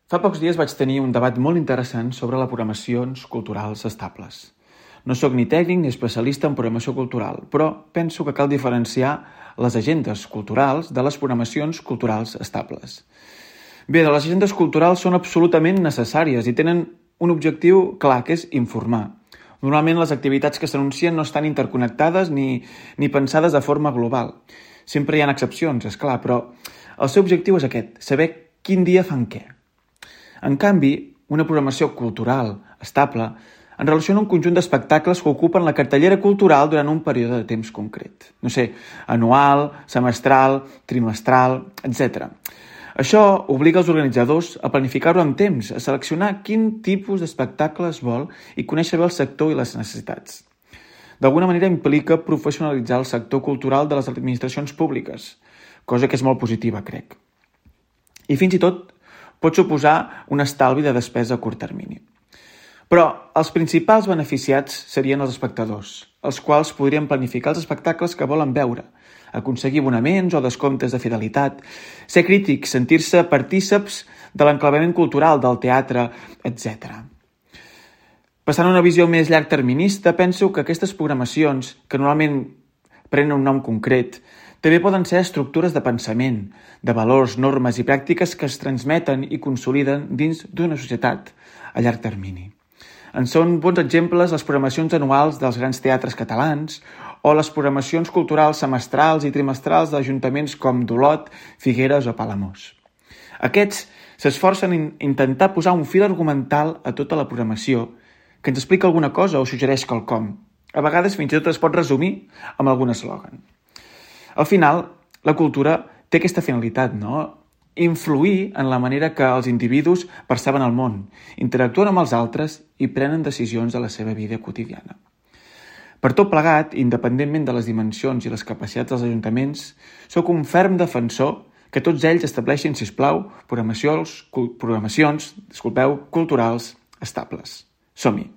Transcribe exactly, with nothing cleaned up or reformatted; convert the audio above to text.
Fa pocs dies vaig tenir un debat molt interessant sobre les programacions culturals estables. No sóc ni tècnic ni especialista en programació cultural, però penso que cal diferenciar les agendes culturals de les programacions culturals estables. Bé, les agendes culturals són absolutament necessàries i tenen un objectiu clar, que és informar. Normalment les activitats que s'anuncien no estan interconnectades ni, ni pensades de forma global. Sempre hi ha excepcions, és clar, però el seu objectiu és aquest, saber quin dia fan què. En canvi, una programació cultural estable en relaciona un conjunt d'espectacles que ocupen la cartellera cultural durant un període de temps concret. No sé, anual, semestral, trimestral, etcètera. Això obliga els organitzadors a planificar-ho amb temps, a seleccionar quin tipus d'espectacle es vol i conèixer bé el sector i les necessitats. D'alguna manera implica professionalitzar el sector cultural de les administracions públiques, cosa que és molt positiva, crec. I fins i tot pot suposar un estalvi de despesa a curt termini. Però els principals beneficiats serien els espectadors, els quals podrien planificar els espectacles que volen veure, aconseguir abonaments o descomptes de fidelitat, ser crítics, sentir-se partíceps de l'enclavament cultural, del teatre, etcètera. Passant a una visió més llargterminista, penso que aquestes programacions, que normalment prenen un nom concret, també poden ser estructures de pensament, de valors, normes i pràctiques que es transmeten i consoliden dins d'una societat a llarg termini. En són bons exemples les programacions anuals dels grans teatres catalans o les programacions culturals semestrals i trimestrals d'ajuntaments com d'Olot, Figueres o Palamós. Aquests s'esforcen en intentar posar un fil argumental a tota la programació que ens explica alguna cosa o suggereix quelcom. A vegades fins i tot es pot resumir amb algun eslògan. Al final, la cultura té aquesta finalitat, no? Influir en la manera que els individus perceben el món, interactuen amb els altres i prenen decisions de la seva vida quotidiana. Per tot plegat, independentment de les dimensions i les capacitats dels ajuntaments, sóc un ferm defensor que tots ells estableixin, sisplau, programacions, programacions disculpeu, culturals estables. Som-hi!